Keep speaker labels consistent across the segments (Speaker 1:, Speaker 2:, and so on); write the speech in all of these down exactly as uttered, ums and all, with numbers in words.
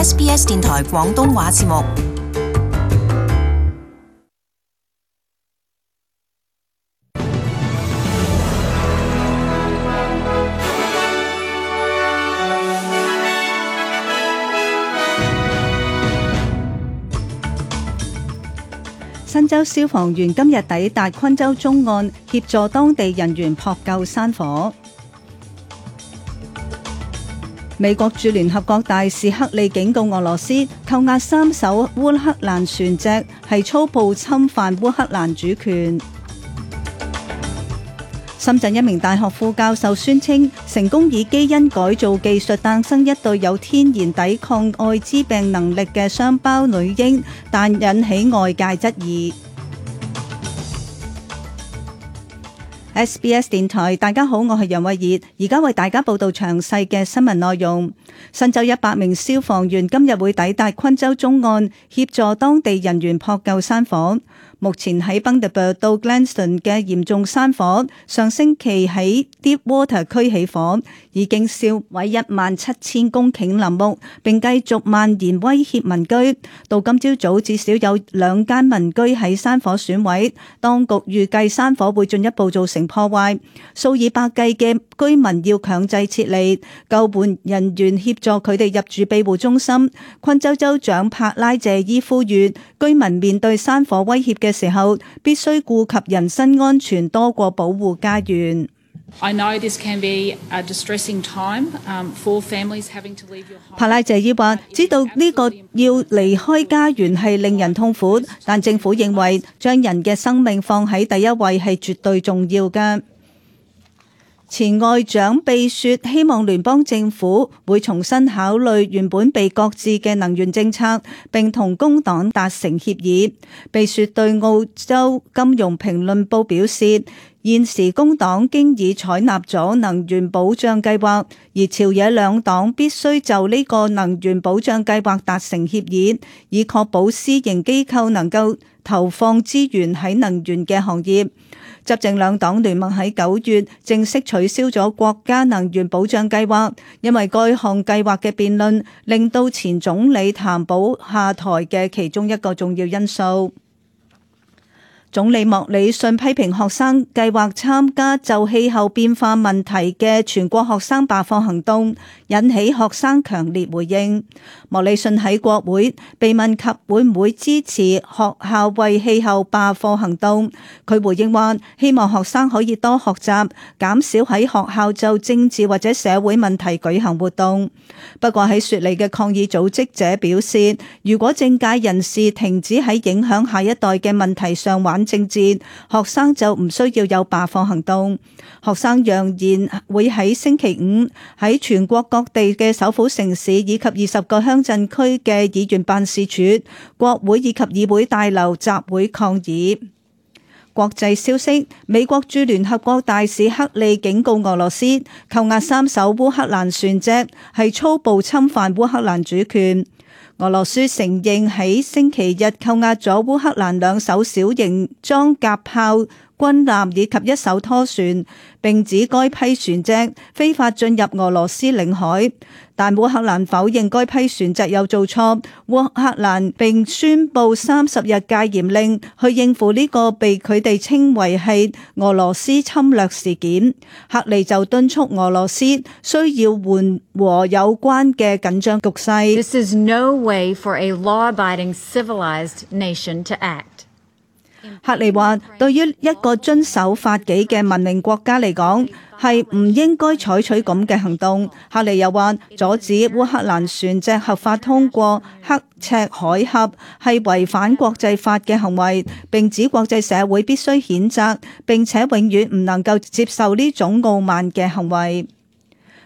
Speaker 1: S B S 電台廣東話節目。
Speaker 2: 新州消防員今日抵達昆州中岸，協助當地人員撲救山火。美國駐聯合國大使克里警告俄羅斯，扣押三艘烏克蘭船隻係粗暴侵犯烏克蘭主權。深圳一名大學副教授宣稱，成功以基因改造技術誕生一對有天然抵抗艾滋病能力嘅雙胞女嬰，但引起外界質疑。S B S 電台，大家好，我係楊慧儀，而家為大家報道詳細嘅新聞內容。新州一百名消防員今日會抵達昆州中岸，協助當地人員撲救山火。目前喺 Bundaberg 到 Gladstone 嘅嚴重山火，上星期喺 Deepwater 區起火，已經燒毀一萬七千公頃林木，並繼續蔓延威脅民居。到今朝早，至少有兩間民居喺山火損毀，當局預計山火會進一步造成破壞，數以百計嘅居民要強制撤離，救援人員協助佢哋入住庇護中心。昆州州長帕拉謝伊呼籲居民面對山火威脅嘅時候，必須顧及人身安全多過保護家園。
Speaker 3: I know this can be a distressing time for families having to leave your home.
Speaker 2: 帕拉謝伊話：知道呢個要離開家園係令人痛苦，但政府認為將人嘅生命放喺第一位係絕對重要嘅。前外長貝雪希望聯邦政府會重新考慮原本被擱置嘅能源政策，並同工黨達成協議。貝雪對澳洲金融評論報表示，現時工黨經已採納咗能源保障計劃，而朝野兩黨必須就呢個能源保障計劃達成協議，以確保私營機構能夠投放資源喺能源嘅行業。執政兩黨聯盟喺九月正式取消咗國家能源保障計劃，因為該項計劃嘅辯論令到前總理譚寶下台嘅其中一個重要因素。總理莫里遜批評學生計劃參加就氣候變化問題嘅全國學生罷課行動，引起學生強烈回應。莫里遜喺國會被問及會唔會支持學校為氣候罷課行動，佢回應話：希望學生可以多學習，減少喺學校就政治或者社會問題舉行活動。不過喺雪梨嘅抗議組織者表示，如果政界人士停止喺影響下一代嘅問題上玩政治，學生就唔需要有罷課行動。學生揚言會喺星期五喺全國各地嘅首府城市以及二十個鄉鎮區嘅議員辦事處、國會以及議會大樓集會抗議。國際消息，美國駐聯合國大使克里警告俄羅斯，扣押三艘烏克蘭船隻係粗暴侵犯烏克蘭主權。俄羅斯承認喺星期日扣押咗烏克蘭兩艘小型裝甲炮軍艦以及一艘拖船，並指該批船隻非法進入俄羅斯領海，但烏克蘭否認該批船隻有做錯。烏克蘭並宣布三十日戒嚴令，去應付呢個被佢哋稱為係俄羅斯侵略事件。克里就敦促俄羅斯需要緩和有關嘅緊張局勢。
Speaker 4: This is no way for a law-abiding, civilized nation to act.
Speaker 2: 克里話：對於一個遵守法紀嘅文明國家嚟講，係唔應該採取咁嘅行動。克里又話：阻止烏克蘭船隻合法通過刻赤海峽係違反國際法嘅行為，並指國際社會必須譴責，並且永遠唔能夠接受呢種傲慢嘅行為。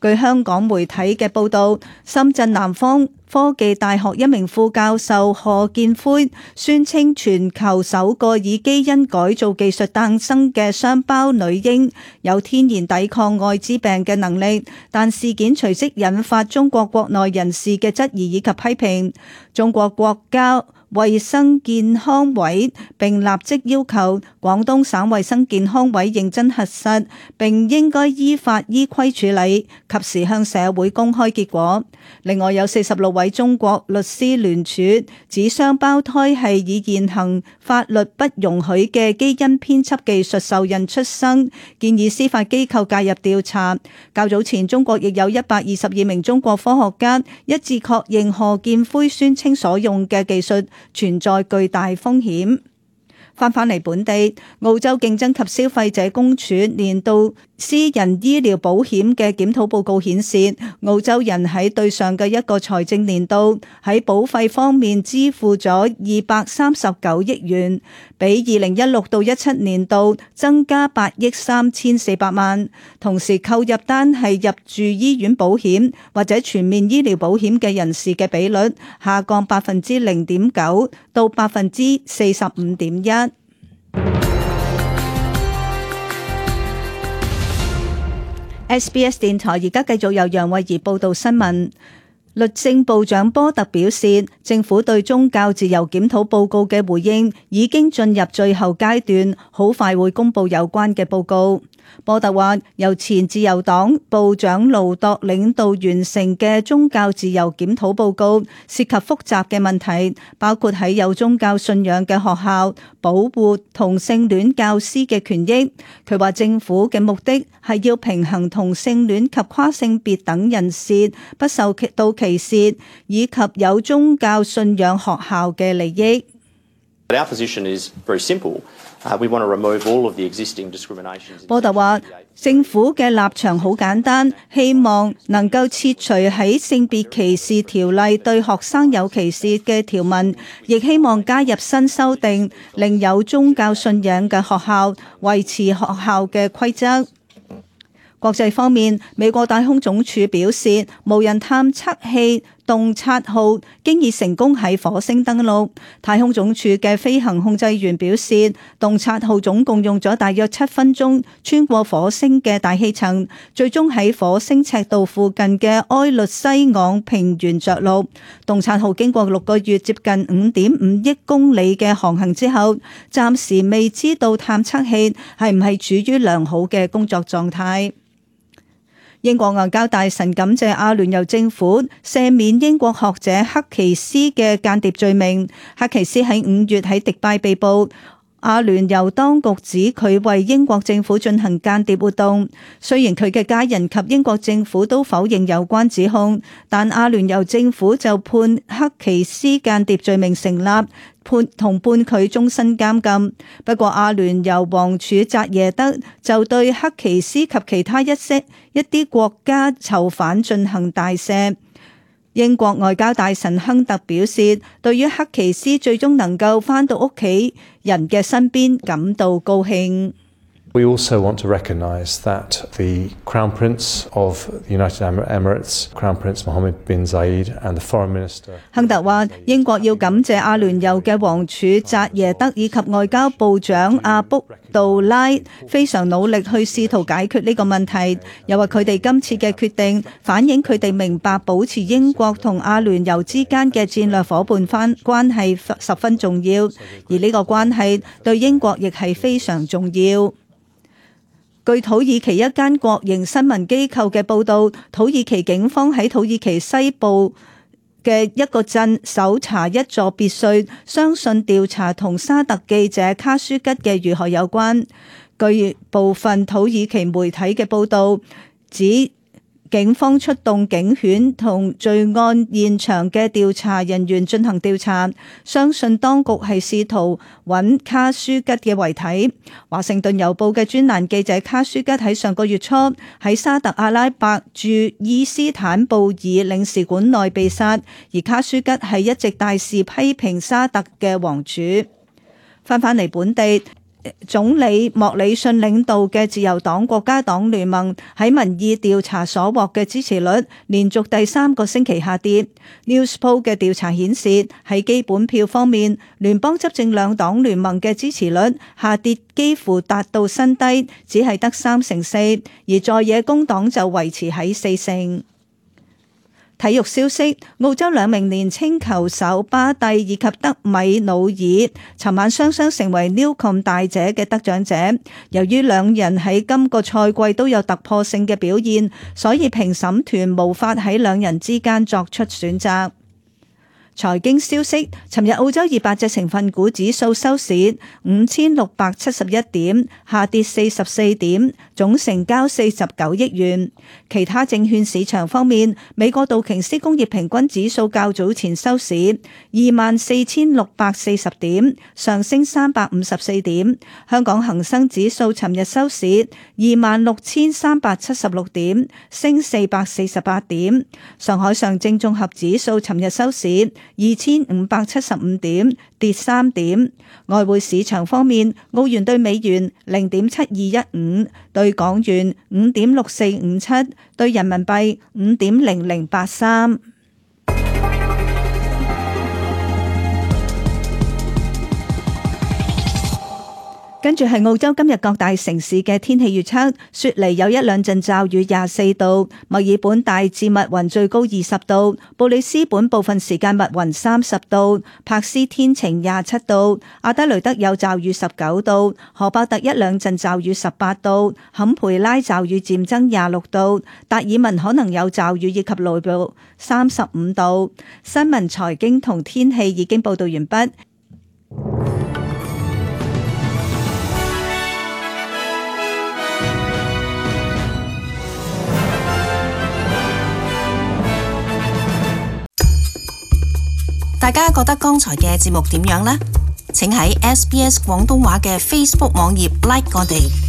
Speaker 2: 據香港媒體嘅報導，深圳南方科技大學一名副教授何建輝宣稱，全球首個以基因改造技術誕生嘅雙胞女嬰有天然抵抗艾滋病嘅能力，但事件隨即引發中國國內人士嘅質疑以及批評。中國國家衛生健康委並立即要求廣東省衛生健康委認真核實，並應該依法依規處理，及時向社會公開結果。另外有四十六位中國律師聯署指雙胞胎係以現行法律不容許嘅基因編輯技術受孕出生，建議司法機構介入調查。較早前中國亦有一百二十二名中國科學家一致確認賀建奎宣稱所用嘅技術存在巨大風險。翻返嚟本地，澳洲競爭及消費者公署年度私人醫療保險嘅檢討報告顯示，澳洲人喺對上嘅一個財政年度喺保費方面支付咗二百三十九億元，比二零一六到一七年度增加八億三千四百萬。同時購入單係入住醫院保險或者全面醫療保險嘅人士嘅比率下降百分之零點九到百分之四十五點一。S B S 電台而家繼續由楊慧儀報道新聞。律政部長波特表示，政府對宗教自由檢討報告嘅回應已經進入最後階段，好快會公布有關嘅報告。波特話，由前自由黨部長盧鐸領導完成嘅宗教自由檢討報告涉及複雜嘅問題，包括喺有宗教信仰嘅學校保護同性戀教師嘅權益。佢話政府嘅目的係要平衡同性戀及跨性別等人士不受到歧視，以及有宗教信仰學校嘅利益。
Speaker 5: Our position is very simple. Uh, we want to remove all of the existing discriminations.
Speaker 2: 波特話，政府嘅立場好簡單，希望能夠撤除喺性別歧視條例對學生有歧視嘅條文，亦希望加入新修訂，令有宗教信仰嘅學校維持學校嘅規則。國際方面，美國太空總署表示，無人探測器洞察號經已成功喺火星登陸。太空總署嘅飛行控制員表示，洞察號總共用咗大約七分鐘穿過火星嘅大氣層，最終喺火星赤道附近嘅埃律西昂平原着陸。洞察號經過六個月接近五點五億公里嘅航行之後，暫時未知道探測器係唔係處於良好嘅工作狀態。英國外交大臣感謝阿聯酋政府赦免英國學者克奇斯嘅間諜罪名。克奇斯喺五月喺迪拜被捕，阿聯酋當局指佢為英國政府進行間諜活動。雖然佢嘅家人及英國政府都否認有關指控，但阿聯酋政府就判克奇斯間諜罪名成立，判同判佢終身監禁。不過阿聯酋王儲扎耶德就對克奇斯及其他一些一啲國家囚犯進行大赦。英國外交大臣亨特表示，對於克奇斯最終能夠返到屋企人嘅身邊感到高興。
Speaker 6: We also want to recognise that the Crown Prince of the United Arab Emirates, Crown Prince Mohammed bin Zayed, and the Foreign Minister.
Speaker 2: 亨特話：英國要感謝阿聯酋嘅王儲扎耶德以及外交部長阿卜杜拉非常努力去試圖解決呢個問題。又話佢哋今次嘅決定反映佢哋明白保持英國同阿聯酋之間嘅戰略夥伴翻關係十分重要，而呢個關係對英國亦係非常重要。據土耳其一間國營新聞機構嘅報導，土耳其警方喺土耳其西部嘅一個鎮搜查一座別墅，相信調查同沙特記者卡舒吉嘅遇害有關。據部分土耳其媒體嘅報導指，警方出動警犬同罪案現場嘅調查人員進行調查，相信當局係試圖揾卡舒吉嘅遺體。華盛頓郵報嘅專欄記者卡舒吉喺上個月初喺沙特阿拉伯駐伊斯坦布爾領事館內被殺，而卡舒吉係一直大肆批評沙特嘅王儲。翻返嚟本地，總理莫里遜領導嘅自由黨國家黨聯盟喺民意調查所獲嘅支持率連續第三個星期下跌。Newspoll 嘅調查顯示，喺基本票方面，聯邦執政兩黨聯盟嘅支持率下跌幾乎達到新低，只係得三成四，而在野工黨就維持喺四成。體育消息，澳洲兩名年輕球手巴蒂以及德米努爾尋晚雙雙成為 Newcombe 大獎嘅得獎者。由於兩人喺今個賽季都有突破性嘅表現，所以評審團無法喺兩人之間作出選擇。財經消息，尋日澳洲二百隻成分股指數收市五千六百七十一點，下跌四十四點，總成交四十九億元。其他證券市場方面，美國道瓊斯工業平均指數較早前收市二萬四千六百四十點，上升三百五十四點。香港恒生指數尋日收市二萬六千三百七十六點，升四百四十八點。上海上證綜合指數尋日收市二千五百七十五點，跌三點。外匯市場方面，澳元兌美元零點七二一五，兌港元五點六四五七，兌人民幣五點零零八三。跟住係澳洲今日各大城市嘅天氣預測，雪梨有一兩陣驟雨，廿四度；墨爾本大致密雲，最高二十度；布里斯本部分時間密雲，三十度；柏斯天晴，廿七度；阿德雷德有驟雨，十九度；荷伯特一兩陣驟雨，十八度；坎培拉驟雨漸增，廿六度；達爾文可能有驟雨以及雷暴，三十五度。新聞、財經同天氣已經報道完畢。
Speaker 1: 大家覺得剛才嘅節目點樣呢？請喺 S B S 廣東話嘅 Facebook 網頁 like 我哋。